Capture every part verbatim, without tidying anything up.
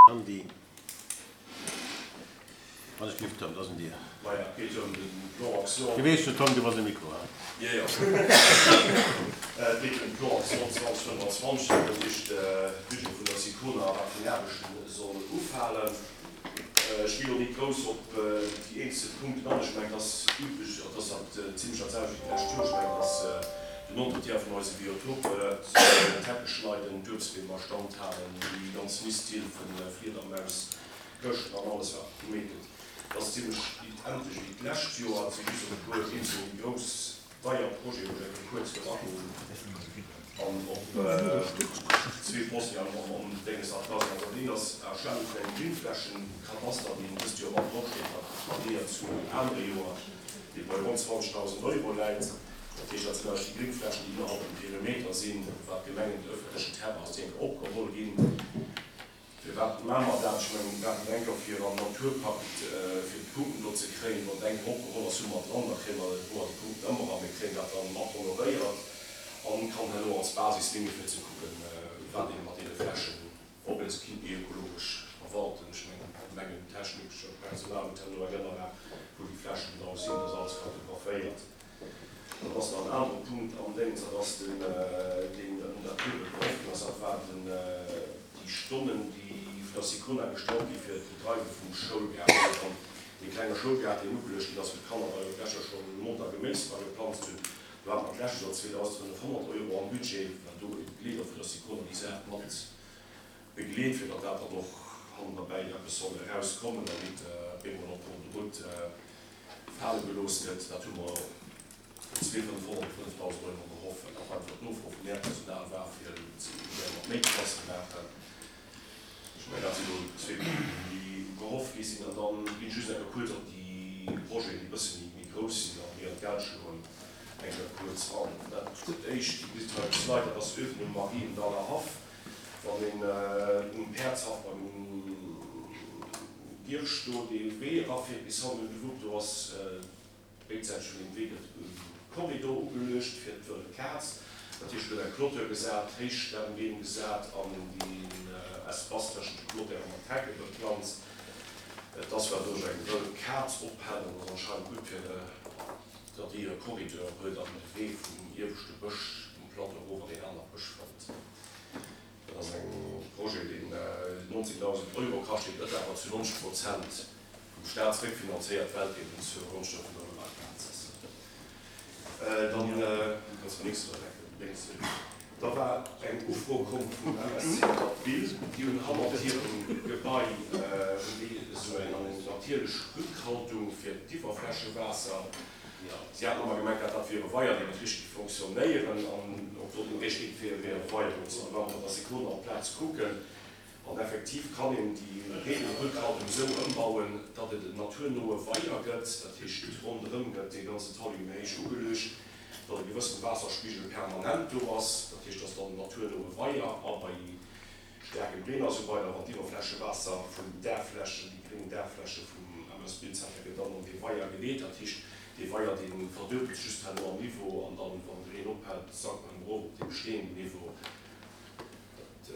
Andy, Wann ech gelift, Tom, dat ass un dir. Maja, et geet jo ëm de Plan Action. Du weess jo, Tom, du bass um Mikro, hein? Jo, jo. Et geet ëm de Plan Action zwanzeg fënnwanzwanzeg, dat heescht de Budget vun der SICONA, wat vun Aarbechten soll ufalen. Ech ginn elo nit grouss op déi eenzel Punkten an. Ech mengen, et ass üblech, et ass dat zimlech dat selwecht wéi d'lescht Joer. Ech mengen, et ass den Entretien vun eise Biotope, d'Hecke schneiden, d'Uebstbeem a Stand halen, déi ganz Nisthilfen, Fliedermaus, Këschten an alles wat gemeet gëtt. Et ass zimlech identesch wéi d'lescht Joer. Et si just e puer eenzel méi grouss deier Projeten, wou ech eng Kéier kuerz wëll agoen an op zwee Posten am Dénges nach dra sinn. Also dat eent ass Erstellung vun engem Gringflächenkadaster, deen dëst Joer mat drop steet, wat variéiert zu anere Joer, dee bei ronn zwanzegdausend Euro läit. Dat heescht, dat sinn eigentlech déi Gringflächen, déi innerhalb dem Perimeter sinn, wat d'Gemengen, de öffentlechen Terrain ass, déi enke opgeholl ginn. Firwat maache mer dat? Ech mengen, mir maachen dat enker fir am Naturpakt, fir d'Punkten do ze kréien. Wann et enker opgeholl ass, hu mer dran, da kréie mer, hu mer déi Punkten ëmmer a mir kréien dat dann mat honoréiert an kann herno als Basis déngen, fir ze kucken, wat ee mat deene Flächen, ob ee se kinnt méi ökologesch verwalten. Ech mengen, d'Gemengentechnik, d'Personal huet herno eng Ënnerlag, wou déi Flächen genau sinn, dat ass alles kartographéiert. Dann ass nach en anere Punkt am Déngs, dat ass den, deen un der Tür betroffen ass, dat war den, déi Stonnen, déi vun der Sicona gestallt gi fir d'Bedreiwe vum Schoulgaart, wou dann dee klenge Schoulgaart, deen ugeluecht ginn ass, wou d'Kanner da jo d'lescht Joer scho monter Geméis dra geplanzt hunn. Do hate mer d'lescht Joer zweedausendfënnefhonnert Euro am Budget, well do e Begleeder vun der Sicona déi Saach mat begleet, fir datt dat dann och hannen derbäi eppes soll erauskommen an nit op eemol en cours de route fale gelooss gëtt. Dat hu mer op zwee fënnefhonnert, fënnefdausend Euro gehoff, well dat einfach d'Nofro vum Léierpersonal war, fir et mat méi Klasse maachen. Ech mengen, dat sinn elo zwee Punkten, déi gehofft gi sinn. An da ginn ech just eng Kéier kuerz op déi Projeten, déi e bësse méi grouss sinn a méi an d'Geld schloen, eng Kéier kuerz an. Dat éischt, Dir gesitt hei um Slide, dat ass uewen um Mariendaller Haff, wann een um Päerdshaff beim Girsch do dee Wee erafiert bis hannen un de Wupp, do ass Béidsäiteg vun deem Wee gëtt e Korridor ugeluecht fir d'wëll Kaz. Dat heescht, et gëtt eng Clôture gesat, Héichstammbeem gesat an deen Espace tëschent de Clôturen mat Hecke beplanzt. Et ass well do sech eng wëll Kaz ophält an ass anscheinend gutt fir datt déi e Korridor huet an de Wee vum ieweschte Bësch um Plateau erof an een anere Bësch fënnt. Dat ass eng Projet, deen nonzéngdausend Euro kascht, dee gëtt awer zu nonzeg Prozent vum Staat zeréckfinanzéiert, well et eben zur Gonschte vun der Wëllakaz ass. Dann, kannst de nächste lénks, da war eng Ufro komm vum M S C Bill, déi hunn hannert hirem Gebai hunn déi esou eng natierlech Rückhaltung fir d'Iwwerflächewaasser. Si haten ëmmer gemengt, dat dat wier e Weier, deen net richteg fonctionnéieren an ob do den richtege Wee wier, e Weier do ze. An da ware mer der Sekonn op d'Plaz kucken. An effektiv kann een déi Regenrückhaltung esou ëmbauen, datt et en naturnoe Weier gëtt. Dat heescht, ronderëm gëtt dee ganzen Talus méi héich ugeluecht, datt e gewëssene Waasserspigel permanent do ass. Dat heescht, et ass dann en naturnoe Weier a bei staarkem Reen a sou weider, wann d'Iwwerflächewaasser vun den Daachflächen, déi gréng Daachfläche vum M S Billzenter, gëtt dann an dee Weier geleet. Dat heescht, dee Weier, dee verduebelt sech just herno am Niveau an dann, wann de Reen ophält, sankt en erëm erof op dee besteeënden Niveau. Dat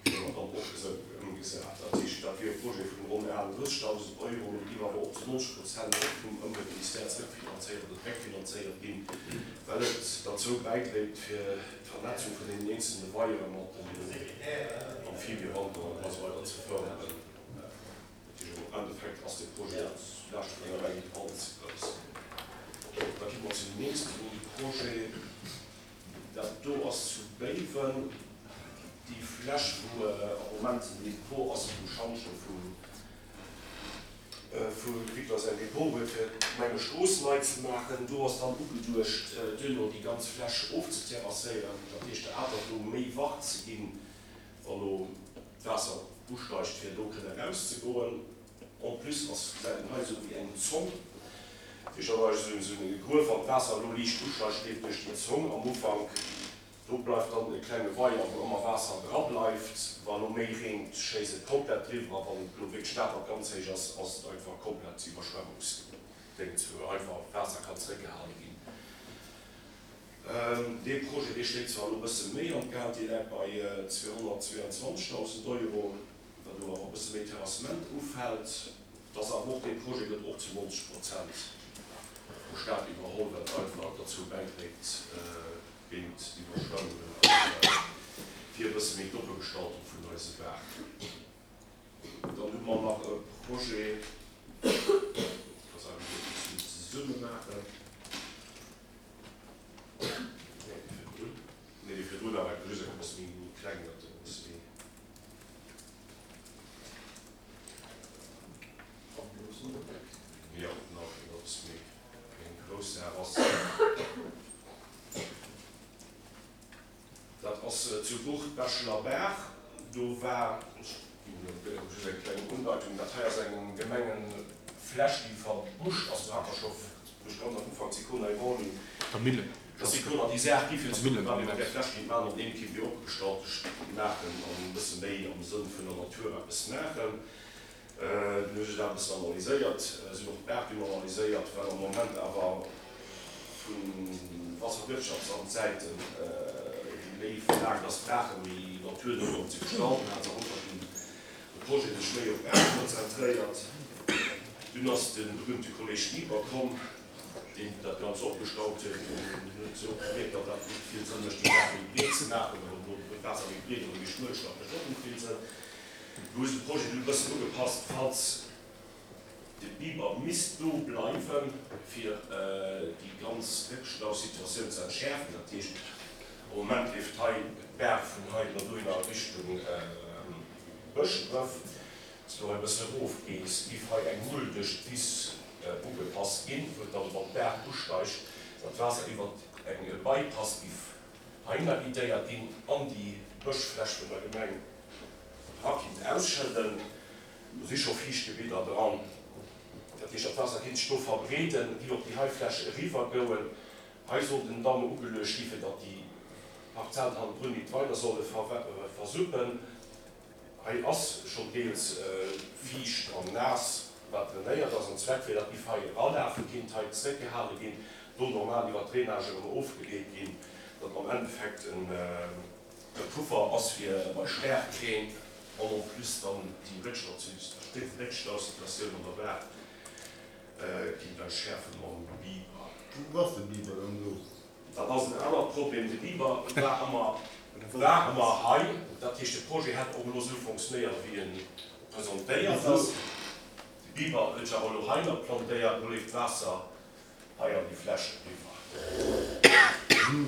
kréie mer dann och esou ëmgesat. Dat heescht, dat wier e Projet vun ronn aachtenddrëssegdausend Euro, mee dee géif awer och zu nonzeg Prozent och vum Ëmweltministère zrëckfinanzéiert oder réckfinanzéiert ginn, well et derzou bäidréit, fir d'Vernetzung vun deenen eenzelne Weiere mat den Amphibiewanderen a sou weider ze fërderen. Dat heescht, am Endeffekt ass dee Projet zu Laaschte vun der Gemeng net all ze grouss. Da gi mer zum nächste Projet. Dat do ass zu Béiwen déi Fläch, wou am Moment den Depot ass vum Schantje vum Victor säin Depot huet, fir d'Gemengestrooss nei ze maachen. Do ass dann ugeduecht, duerno déi ganz Fläch ofzeterrasséieren, dat heescht der Atert do méi Wart ze ginn, wa lo d'Waasser usteigt, fir do kënne erauszegoen. En plus ass, gesäit een hei, esou wéi eng Zong, dat heescht, dat ass esou e Gruef, wann d'Waasser elo liicht usteigt, leeft duerch déi Zong am Ufank. Do bleift dann e klenge Weier, wou ëmmer Waasser dra bleift. Wa lo méi reent, schéisst et komplett driwwer a wann lo wierklech d'Atert ganz héich ass, ass et einfach komplett iwwerschwemmungsdéngt, wou einfach Waasser kann zeréckgehale ginn. Dee Projet, dee schléit zwar elo e bësse méi an d'Geld, dee läit bei zweehonnertzweeanzwanzegdausend Euro, wat elo awer bësse méi Terrassement ufält. Dass awer och dee Projet gëtt och zu neunzeg Prozent vum Staat iwwerholl, wat einfach derzou bäidréit géint d'Iwwerschwemmungen a fir e bësse méi d'Oppegestaltung vun eise Baachen. Dann hu mer nach e Projet, dat ass eigentlech e bëssen zesumme maachen. Nee, dee virdrun. Nee, dee virdrun awer just e bësse méi kleng, dat e bësse méi. Jo, nach e bësse méi eng grouss Saach ass. Dat ass zu Bucht Bechelerbaach. Do war, ech ginn elo just eng kleng Undeitung, dat hei ass eng Gemengenfläch, déi verbuscht ass. Do hat mer scho duerch ganz am Ufank d'Sicona iwwerholl hunn. Der Millen. Dass Sicona déi Saach gi fir ze kucken, wat mir mat där Fläch kéint maachen, an deem kéint mir opgestallt maachen an e bësse méi am Sënn vun der Natur eppes maachen. Dunn hu se dat e bëssen analyséiert, se hunn och d'Baach dunn analyséiert, well am Moment awer vu Wasserwirtschaftsamtsäiten méi verlaangt ass, d'Baache méi naturno ze gestalten, hat se am Ufank dunn de Projet sech méi op d'Baach konzentréiert. Dunn ass de berühmte Kolleg Bieber komm, deen dat Ganzt opgestaut huet. Dunn huet se och gemierkt, datt dat net vill Sënn mécht, déi Baach méi breet ze maachen, well elo d'Waasser méi breet oder méi schmuel ass, dat mécht och net vill Sënn. Do hu se de Projet dunn e bëssen ugepasst, falls de Biber misst do bleiwen, fir déi ganz Réckstausituatioun ze entschäerfen. Dat heescht, am Moment leeft hei d'Baach vun hei iwwer dohinner a Richtung Bëschdref. Wann s du hei e bëssen erofgees, giff hei eng Mull duerch d'Wiss ugepasst ginn, wou et dann, wann d'Baach usteigt, dat Waasser iwwer eng Bypass giff heihinner guidéiert ginn an déi Bëschfläch vun der Gemeng era kinnt ausschëdden. Do si scho Fiichtgebidder dran. Dat heescht, dat Waasser kinnt sech do verbreeden, giff op déi hei Fläch eriwwergouen. Hei soll den Damm ugeluecht gi fir datt déi Parzellen hannendrun nit weider solle versuppen. Hei ass schonn deels fiicht an naass, wat drainéiert ass. An Zweck wier, datt giff hei eralafe kinnt, hei zréckgehale ginn, do normal iwwer d'Drainage erëm ofgeleet ginn, datt am Endeffekt e Puffer ass fir bei Staarkreen an en plus dann déi Réckstausituatioun an der Baach kinnt entschäerfen mam Biber. Wou ass de Biber dann elo? Dat ass en anert Problem. De Biber war ëmmer war ëmmer hei. Dat heescht, de Projet hätt och elo esou fonctionnéiert, wéi e presentéiert ass. De Biber huet sech awer elo hei nach plantéiert. Elo leeft d'Waasser hei an déi Fläch eriwwer.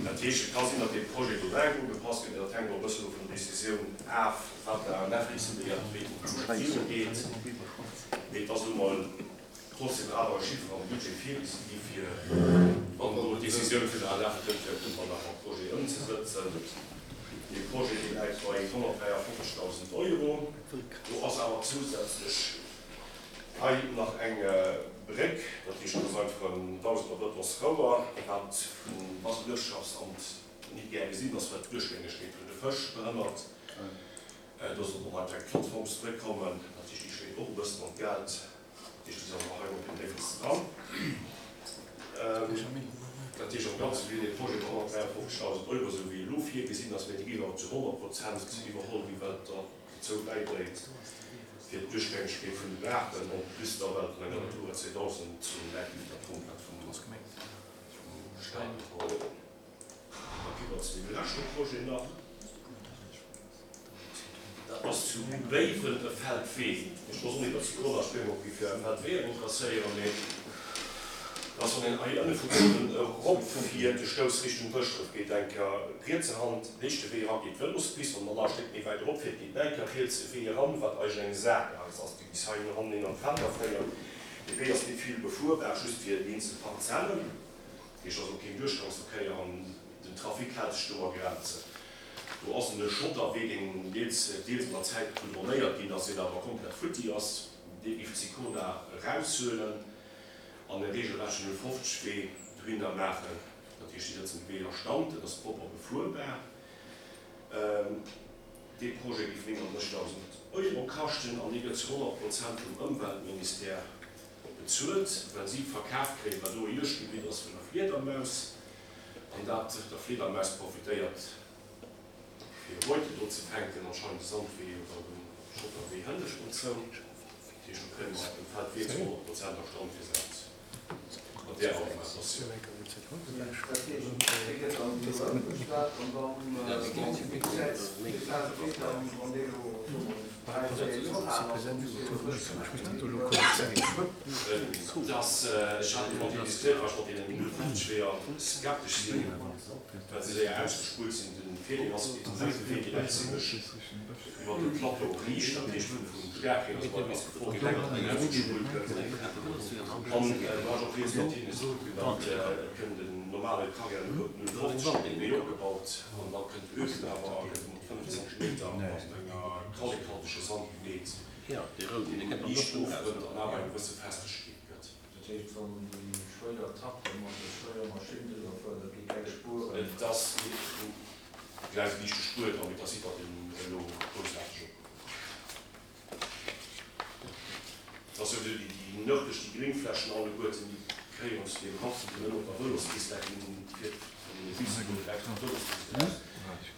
Dat heescht, et ka sinn, datt dee Projet do laang ugepasst gëtt, mee dat hänkt och e bëssen elo vun der Decisioun af, wat d'A N F decidéiert, wéi d'Konklusioun geet. Mee et ass elo mol trotzdem awer e Chiffer am Budget virgesi gi fir, wann do d'Decisioun vun der A N F kënnt, fir irgendwann nach am Projet ëmzesëtzen. Dee Projet, dee läit bei honnertdräiafofzegdausend Euro. Do ass awer zousätzlech hei nach eng Bréck, dat heescht, dat ass einfach en Dausender Betonsrouer, wat vum Wasserwirtschaftsamt nit gär gesinn ass, well d'Duerchgängegkeet vun de Fësch behënnert. Do soll och einfach eng Plattformsbréck kommen, dat heescht, déi schléit och e bëssen an d'Geld. Dat heescht, déi soll nach hei op den Déifsten dran. Dat heescht, am Ganze wier dee Projet bei honnertdräiafofzegdausend Euro, esou wéi elo virgesinn ass, mä déi géif awer zu honnert Prozent iwwerholl ginn, well dat dozou bäidréit, fir d'Duerchgängegkeet vun de Baachen, en plus da well vun enger Natura zweedausend Zon läit, géif dat komplett vum Staat iwwerholl ginn. Da gi mer zu deem leschte Projet nach. Dat ass zu Béiwen e Feldwee. Ech wosst och net, datt Sicona Spéngok géif fir e Feldwee interesséieren, mee dat ass, wann een hei ënne vu Béiwen eropfiert, de Stouss Richtung Bëschdref geet eng Kéier rietse Hand, léischt de Wee eran, geet d'Vëlospist, wann dann nach e Stéck méi wäit eropfiert, geet nach eng Kéier riets e Wee eran, wat eigentlech eng Saakgaass ass, déi bis hei hannen an d'Felder féiert. Dee Wee ass net vill befuerbar, just fir déi eenzel Parzellen. Dat heescht, ass och keen Duerchgangsverkéier an den Trafic hält sech do a Grenzen. Do ass en Schotterwee, deen deels deels mat der Zäit goudronéiert ginn ass, deen awer komplett futti ass. Dee géif d'Sicona eraushuelen an e regelrechten null fofzeg Wee dohinner maachen. Dat heescht, déi sëtzen de Wee a Stand, en ass propper befuerbar. Dee Projet géif néngundrëssigdausend Euro kaschten an dee gëtt zu honnert Prozent vum Ëmweltministère bezuelt, well si verkaf kréien, wat do e Juegdgebitt ass vun der Fliedermaus an dat der Fliedermaus profitéiert, fir Beute do ze fänken, anscheinend de Sandwee oder den Schotterwee hënnescht an zou. Dat heescht, do kréie mer dem Feldwee zu honnert Prozent a Stand gesat mat där Augmentatioun. Dat heescht, dee gëtt dann elo ëmgesat an dann, bon, wéi gesäit dee Feldwee dann, wann dee elo, soe mer, dräi, véier Joer al ass, da muss dee jo frësch gemaach ginn, oder? Dass, ech hat mat deenen diskutéiert, well ech mat deenen null fünfzeg Weeër skeptesch sinn, well se séier ausgespullt sinn. De Feeling ass, et ass e Wee, deen läit zimlech iwwer de Plateau riicht, dat heescht vum Staarkreen ass bei ass d'Gefor kleng, datt deen ausgespullt gëtt. An do hat ech och rieds mat hinne gesot, datt et kënnt en normale Carrière null fünfzeg op dee Wee opgebaut an da kënnt Öfen awer a gëtt mat fënnefzwanzeg Meter mat enger kallekhaltege Sand gemeet, deen liicht ofrënnt an awer eng gewësse Festegkeet gëtt. Dat heescht, wann déi schwéier Trakter mat der schwéier Maschinn driwwer fueren, dat gi keng Spueren? Et ass gläich e liichte Spuer dran, mee et ass iwwer den elo groussaarteg opgeholl. Et ass jo esou, déi nërdlech, déi Gréngflächen alleguerten, déi gehéieren zu deem Haff, déi ënnen op der Vëlospist, da ginn fiert vun deene Bisse do direkt op d'Vëlospist eraus.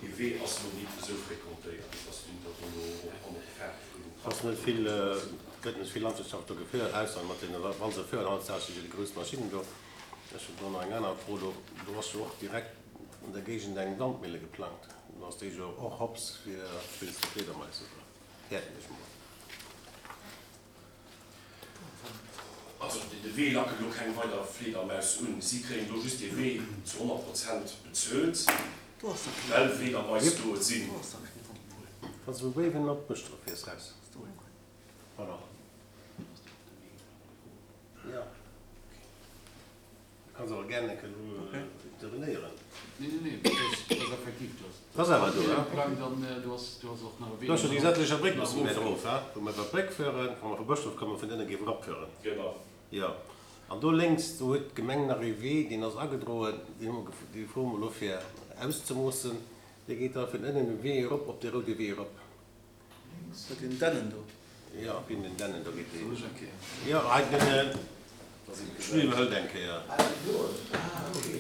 Dee Wee ass elo nit esou fréquentéiert, et ass nit, datt do elo och hannert de Fäerdeg vun Et ass net vill, gëtt net vill Landwirtschaft do geféiert, ausser mat deene, wa se féieren, hautsächlech déi grouss Maschinnen do. Ech hunn do nach eng aner Fro, do, do ass jo och direkt an der Géigend eng Wandmille geplangt. Do ass déi jo och hops fir wéinst de Fliedermais, oder häerten ech mol. Also de Wee lackelt elo keng weider Fliedermaus un. Si kréien do just dee Wee zu honnert Prozent bezuelt, well Fliedermais do sinn. Wann s de vu Béiwen op Bëschdref fiers, raus. Voilà. Jo. Du kanns awer gären eng Kéier do intervenéieren. Nee, nee, nee, dat ass, dat ass effektiv, du has. Dat ass awer do, he? Geplangt an du has, du has och nach e Wee. Do ass jo déi Sättlecher Bréck bëssen méi erof, he? Wou mer iwwer d'Bréck fueren, wa mer vu Bëschdref kommen, vun ënne géif eropfueren. Genau. Jo. An do lénks, do huet d'Gemeng nach ee Wee, deen ass agedroen, deen hu mer, dee froe mer elo fir auszemoossen. Dee geet da vun ënnen um Wee erop, op dee roude Wee erop. Lénks bei den Dännen do? Jo, op den Dännen do geet dee. Soll ech eng Kéier? Jo, hei den Schmitt iwwerhëlt eng Kéier. Ah, deen do? Ah, okay.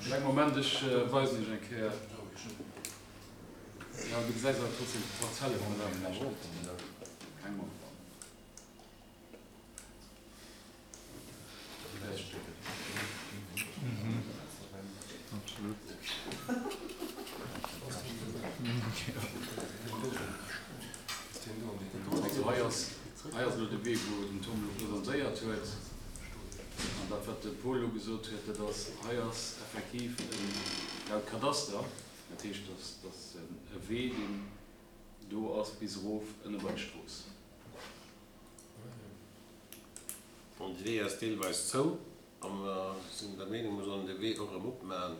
Kleng Moment, ech weisen iech eng Kéier. Jo, du gesäis awer trotzdem d'Parzelle vun der vläicht net. Kleng Moment. Also hei ass, hei ass elo de Wee, wou den Tom elo presentéiert huet. An dat, wat de Paul elo gesot huet, dat ass, hei ass effektiv en, laut Kadaster, dat heescht, dass, dass e Wee, deen do ass bis erof ënne bei d'Strooss. An de Wee ass deelweis zou a mer sinn der Meenung, mer sollen de Wee och erëm opmachen.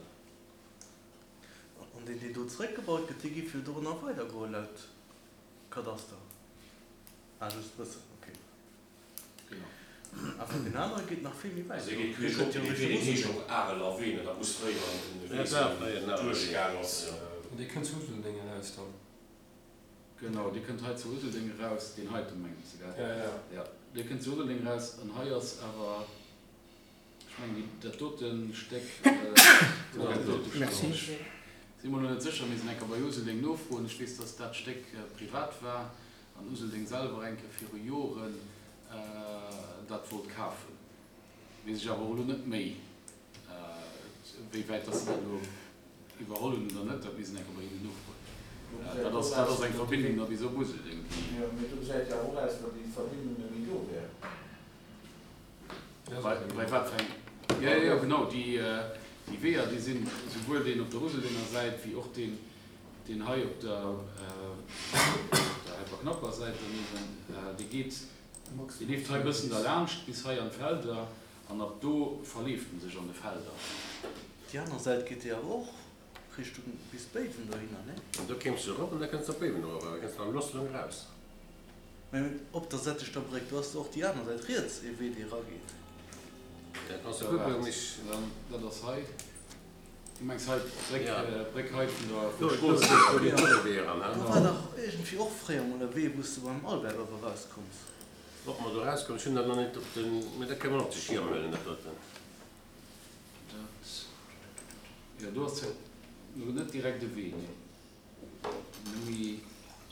An deen, deen do zeréckgebaut gëtt, dee géif jo dorënner weidergoen laut Kadaster. Ah, just e bëssen, ok. Genau. Awer deen anere geet nach vill méi wäit Also e do. geet Dee queesch kënnt op jo dee Wee, Richtung deen heescht Useldeng. och Areler Wee, ne? Dat muss fréier en Ja, Wee dat war sinn, fréier en deen Areler Wee. duerchgaang ass. An dee kënnt zu Useldeng eraus dann? Genau, dee kënnt hei zu Useldeng eraus, deen heite mengs de, gell? Ja, ja. Ja, dee kënnt zu Useldeng eraus an hei ass awer, ech mengen, déi, dat dote Stéck, dat dote Stéck, Merci. ech si mer elo net sécher, mir sinn eng Kéier bei Useldeng nofroen, ech weess, dass dat Stéck privat war an Useldeng selwer eng Kéier viru Joren dat wollt kafen. Weess ech awer och elo net méi, wéi wäit dass se dat elo iwwerholl hunn oder net, dat misst een eng Kéier bei hinnen nofroen. Do gesäit Dat och ass, dat aus, ass eng wéi wann Verbindung da bis op Useldeng, déi. Jo, mee do gesäit jo awer och aus, wéi wann déi Verbindung net méi do wär. Bei, bei wat fir eng? Jo, jo, jo, genau, déi, déi Weeër, déi sinn souwuel deen op der Useldenger Säit wéi och deen, deen hei op der, op der Helperknapper Säit daneben, dee geet, dee leeft hei e bëssen derlaanscht bis hei an d'Felder an ab do verleeft en sech an de Felder. Déi aner Säit geet déi awer och Richtung bis Béiwen dohinner, nee? An do kéims de erop an da kënns de op Béiwen erop, awer da kënns de am Losselung eraus. Mä op der Sättechter Bréck, do ass och déi aner Säit riets ee Wee, dee erageet. Da kanns de kucken, mich. Dat ass hei, du mengs hei d'Bréck, d'Bréck hei vun der Do, Strooss? do geet och e Wee eran, he? Do war dach iergendwéi och fréier mol e Wee, wou s de beim Albert awer erauskoums. Ob mer do erauskommen, ech hunn dat nach net op den, mä dat kënne mer och op de Schierm huelen, dat doten. Dat, jo, do ass jo net direkt e Wee, nee. Nëmme.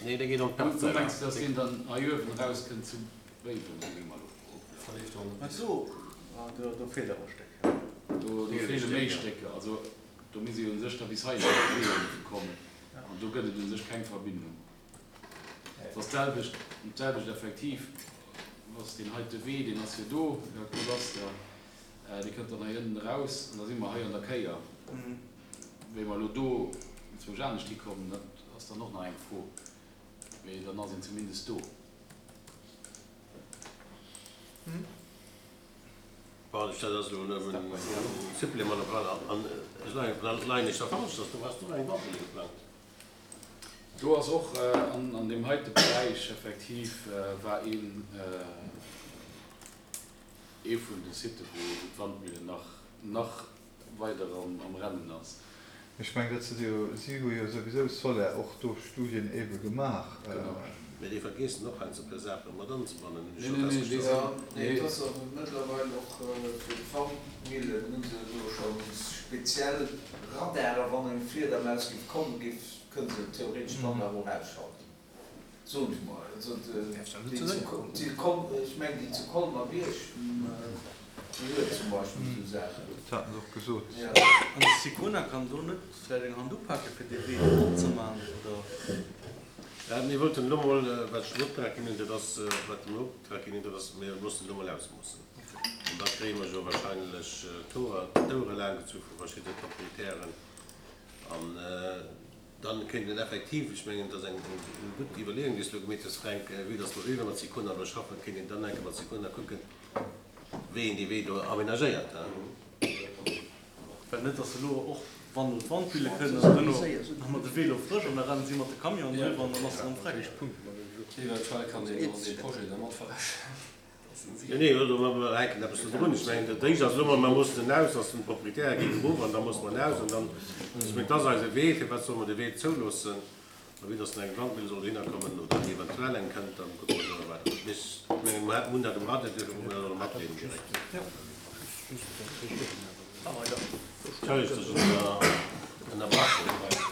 Nee, dee geet an Du d'Parzell. mengs, dass deen dann hei uewen erauskënnt zu Béiwen, wéi mer elo Verleeft och Ach net. so, ah, do, do feelt awer e Stéck. Do, do feele méi Stécker. Also do misst ee u sech da bis hei iwwer de Wee kommen. An do gëtt et u sech keng Verbindung. Et ass d'selwecht, d'selwecht effektiv, was deen heite Wee, deen ass jo do, laut Kadaster, dee kënnt dann hei ënnen eraus an da si mer hei an der Kéier. Wéi mer elo do zwousch anescht hikommen, dat ass dann och nach eng Fro. Mee dann ass een zumindest do. Bon, ech dat ass elo nëmmen e Supplément op alle Fall. An ech leien, leien ech da falsch, dass do ass do eng Wandmille geplangt? Do ass och an, an deem heite Beräich effektiv war een, ee vun de Sitte wou d'Wandmille nach, nach weider am, am Rennen ass. Ech mengen, dat si jo, si hu jo souwisou Soler och do Studien ebe gemaach. Genau. Mee déi vergeessen och heiansdo e puer Saache mat anzebannen, hunn ech Nee, scho nee, nee, déi festgestallt. sinn, Jo, nee, et nee. ass och mëttlerweil och fir d'Wandmillen hu se elo scho speziell Radare, wann eng Fliedermaus géif kommen, géif, kënne se theoretesch d'Anlag och ausschalten, soen ech mol. Also Däerf dat net déi ze zu, séier kommen. déi Kol, ech mengen déi zu Colmer-Bierg, déi huet zum Beispill esou Saachen. Dat haten se och gesot. Jo. An de Sicona kann do net vläicht eng Hand upake fir dee Wee do opzemaachen, oder? Ja, mir wollten elo mol, wat ech den Optrag ginn hunn, dat ass, wat den Optrag ginn hunn, dat ass, mir mussen elo mol ausmoossen. An da kréie mer jo wahrscheinlech d'Hoer, d'Ouere laang gezu vu verschidde Proprietären. An dann kéint een effektiv, ech mengen, dat ass eng, eng gutt Iwwerleeung, déi s du elo gemeet hues, Fränk, vue dass mer ëmmer mat Sicona do schaffen, kéint een dann enke mat Sicona kucken, wéi een dee Wee do aménagéiert. Well net, dass elo och wann elo d'Wandmille kënnen an duerno hu mer de Vélo frësch an da rennen si mat de Camion driwwer an dann ass et erëm freck. Eventuell kann een och dee Projet da mat verrechnen. Nee, nee, also mer hänken eppes do drun. Ech mengen, dat éischt ass elo mol, mer mussen en aus, dass den Proprietär geet erof an da musse mer en aus an dann, ech mengen, dat ass eise Wee. Firwat solle mer de Wee zouloossen? A wéi dass eng Wandmille soll dohinner kommen oder eventuell eng kënnt, dann kucke mer do weider. Mee ech mengen, mer hunn dat um Radar, duerfir musse mer dat och matdeelen direkt. Entschëllegt, dass ech ënnerbrach hunn.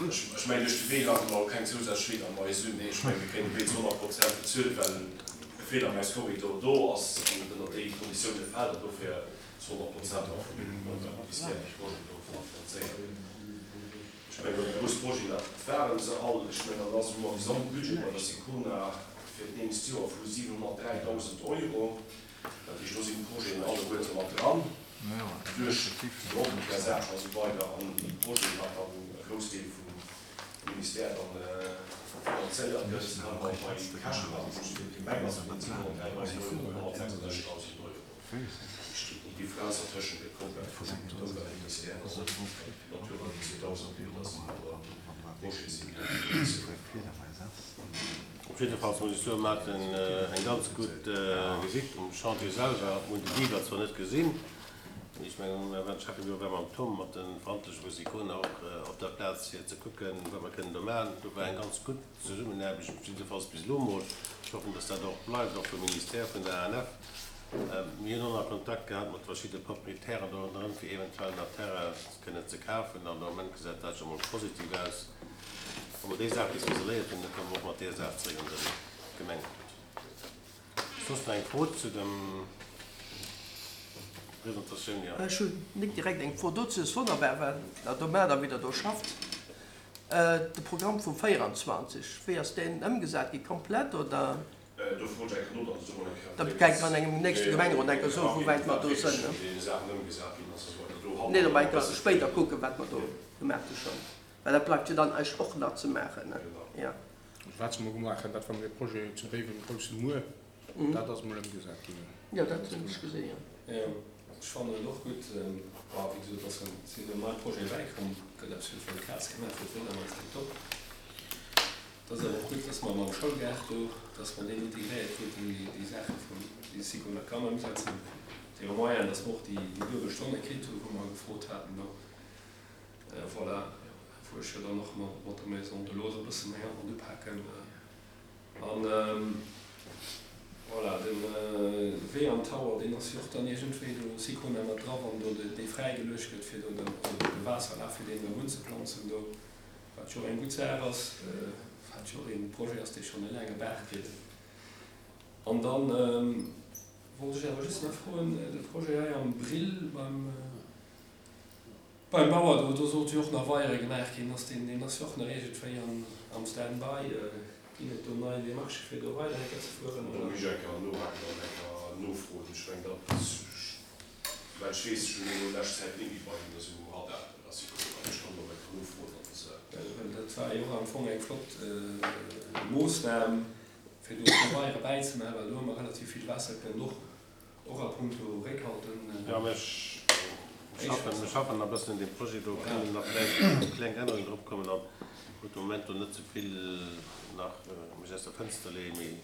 Ech mengen, duerch de Wee lafe mer och keng zousätzlech Fliedermais un. Ech mengen, mir kréien de Wee zu honnert Prozent bezuelt, well e Fliedermaiskorridor do ass an et ënner déi Konditioune fält an dofir zu honnert Prozent och vum Ministère dee Projet do finanzéiert. Ech mengen, déi grouss Projeten, dat ware se all. Ech mengen, dann ass hu mer e Gesamtbudget bei der Sicona fir d'nächst Joer vu siwenhonnertdräidausend Euro. Dat heescht, do sinn d'Projeten alleguerte mat dran, duerch d'Ordnungsversagen a sou weider an déi Projeten, wat dann e Groussdeel vum Ministère dann finanzéiert gëtt, kann mer bei Käschten, also just fir d'Gemeng ass et net siwenhonnertdräidausend Euro, mee honnertsechsundsechzigdausend Euro. Déi Differenz dertëschent gëtt komplett vum Ëmweltministère an Natura zweedausend, wéi dat awer Projete sinn, déi finanzéiert ginn. Op jidde Fall muss ech soen, mer haten eng ganz gutt Visitt um Chantier selwer. Mir hunn de Beaver zwar net gesinn, mee ech mengen, mir waren Schäffebüro war mam Tom, mat de Verantwortleche vu Sicona och op der Plaz, fir ze kucken, wat mer kënnen do maachen. Do war eng ganz gutt Zesummenaarbecht, jiddefalls bis elo mol. Ech hoffen, dass dat och bleift, och vum Ministère, vun der A N F. Mir hunn och nach Kontakt gehat mat verschidde Proprietären do ronderëm, fir eventuell nach Terrain kënnen ze kafen. An de Moment gesäit dat scho mol positiv aus. Wa mer déi Saach bis isoléiert hunn, da komme mer och mat där Saach zeréck an de Gemengerot. Soss nach eng Fro zu dem Presentatioun? Jo. Ech hunn net direkt eng Fro dozou. Et ass wonnerbar, well der domadder wieder do schafft. De Programm vum véierundzwanzeg, wéi ass deen ëmgesat gi? Komplett oder? Do froen ech eng Kéier no, datt ech do mol eng Kéier Da gesäit mer an engem nächste Gemengerot eng Kéier soen, wou wäit mer do sënn, ne? Wéi déi Saachen ëmgesat ginn ass a sou weider. Do Nee, da hanne mer eng Kéier spéider kucken, wat mer do gemaach hu schonn. Well dat bleift jo dann eis och nach ze maachen, ne? Genau. Jo. Also wat se mol gemaach hunn, dat war mol e Projet zu Béiwen, e grousse Muer. Dat ass mol ëmgesat ginn. Jo, dat hunn ech gesinn, jo. Jo, ech fannen et och gutt. Bon, wéi gesot, ass sinn elo nei Projete bäikomm, gëtt eppes fir d'Kaz gemaach, fir d'Fliedermaus, tiptop. Et ass awer och gutt, dass mer mam Schoulgaart do, dass mer deen integréiert kruten, déi, déi Saache vun, déi Sicona kann ëmsetzen. Déi Moyen, dass mer och déi, déi duebel Stonne kritt hunn, wou mer gefrot haten do. Voilà, wou ech jo dann och mat, mat der Maison de l'Eau e bësse méi Hand upaken. An voilà, de Wee am Tower, deen ass jo och dann iergendwéi do Sicona mat dra, wann do dee fräigeluecht gëtt, fir do den, also de Waasserlaf, fir deen erëm unzeplanzen do, wat jo och eng gutt Saach ass. Wat wat jo och ee Projet ass, dee schonn e laange Baart kritt. An dann wollt ech awer just nach froen, de Projet hei am Brill beim, beim Bauer do, do sollt jo och nach Weiere gemaach ginn, ass deen, deen ass jo och nach iergendwéi am, am Stand-by. Ginn et do nei Demarchë fir do weider enker ze fueren, Do oder? muss ech enker nohaken an enker nofroen. Ech meng dat, well ech weess, ech hunn elo lescht Zäit net méi bei hinnen esou um Radar, dat ass jo cool, ech kann do enker nofroen an se. Well dat war jo och am Fong eng flott Moossnam, fir do e puer Weiere bäizemaachen, well do hu mer relativ vill Waasser kënnen och, och a puncto Récolten. Jo, mä ech schaffen, mir schaffen nach e bëssen un deem Projet do, kënnen nach vläicht kleng Ännerungen drop kommen an gutt, de Moment do net ze vill nach mech aus der Fënster leeën, mee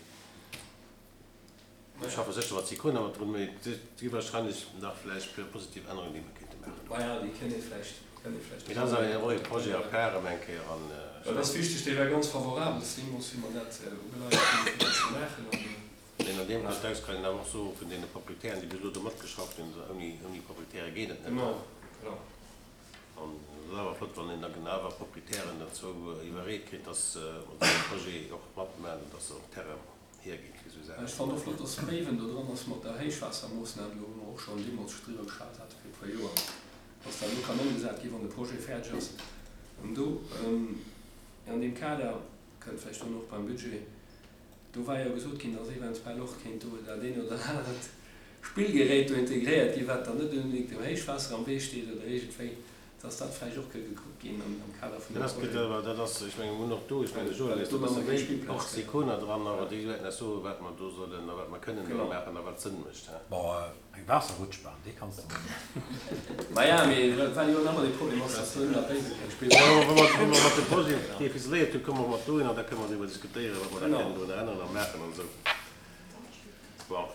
ech schaffe sécher mat Sicona mat drun, mee et gi wahrscheinlech nach vläicht e puer positiv Ännerungen, déi mer kéinte maachen do. Maja, déi kënnt ee vläicht, kënnt ee vläicht Mee dat ass awer och ee Projet à part erëm eng Kéier an Dat ass wichteg, dee war ganz favorabel deemools, wéi mer dat ugeleiert hunn, fir dat ze maachen. An. An deem Kontext kann een awer och soen, vun deene Proprietären, déi bis elo do matgeschafft hunn, ouni, ouni Proprietäre geet et net. Genau, genau. An et ass awer flott, wann een da genau awer Proprietären dozou iwwerreet kritt, dass se un esou engem Projet och matmaachen an dass se och Terrain hierginn fir esou Ech Saachen. fannen och flott, dass Béiwen do dran ass mat der Héichwaassermoossnam do, wou mer och schonn deemools scho driwwer geschwat hate fir e puer Joer, dass dat elo kann ëmgesat ginn, wann de Projet fäerdeg ass. An do, an deem Kader, kënnt vläicht dono och beim Budget, do war jo gesot ginn, dass eventuell och kéint do dat eent oder anert Spillgerät do integréiert ginn, wat dann net unbedéngt dem Héichwaasser am Wee steet oder iergendwéi, dass dat vläicht och ka gekuckt ginn am Kader vun Dat deem ass gutt, Projet. awer dat ass, ech mengen, mir hunn och do, ech mengen, de Joël Well huet do e nach bësse méi méi Spillplaz och gëtt. Sicona dran, awer déi wäerten eis soen, wat mer do sollen a wat mer kënnen do Genau. maachen a wat Sënn mécht. Bon, eng Waasserrutschbahn, déi kanns de maachen. Maja, mee well jo nach ëmmer dee Problem ass, dass do ënner Béiwe keng Wa Spillplaz mer, wa mer mat dem Projet dee ficeléiert hunn, komme mer mat dohin an da kënne mer driwwer diskutéieren, wat mer da Genau. kënnen drun änneren a maachen an esou. Bon,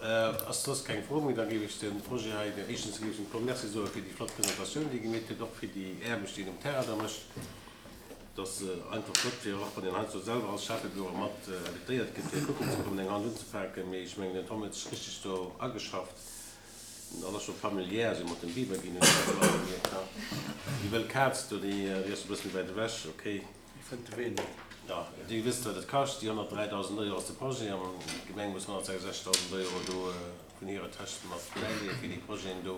ass soss keng Fro méi, da géif ech de Projet hei, éischtens géif ech dem Claude Merci soe fir déi flott Presentatioun, déi e gemeet huet, och fir déi Aarbecht, déi en um Terrain da mécht. Et ass einfach flott, fir och wann een heiansdo selwer als Schäffebüro mat invitéiert gëtt, fir kucken ze kommen, eng Hand unzepaken. Mee ech mengen, den Tom huet sech richteg do ageschafft. Dat ass scho familiär esou mat dem Biber ginn, hunn ech elo gemierkt. Déi wëll Kaz do, déi ass e bësse méi wäit ewech, okay. Déi fënnt de Wee net. Jo, Dir wësst, wat et kascht, déi honnertdräidausend Euro ass de Projet an d'Gemeng muss honnertsechsundsechzigtausend Euro do vun hirer Täsch mat bäileeën fir déi Projeten do.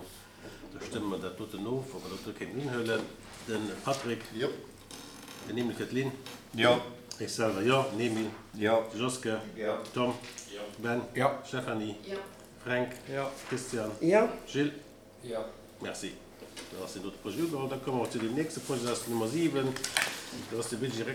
Da stëmme mer dat doten of, ob mer dat do kéinten unhuelen. De Patrick? Jo. Den Emile fir d'Lynn? Jo. Ech selwer jo. Den Emile? Jo. De Joske? Jo. Tom? Jo. Ben? Jo. Stéphanie? Jo. Fränk? Jo. Christian? Jo. Gilles? Jo. Merci. Dann ass deen dote Projet ugeholl. Da komme mer zu deem nächste Projet, dat ass d'Nummer siwen. Dat ass de Budget.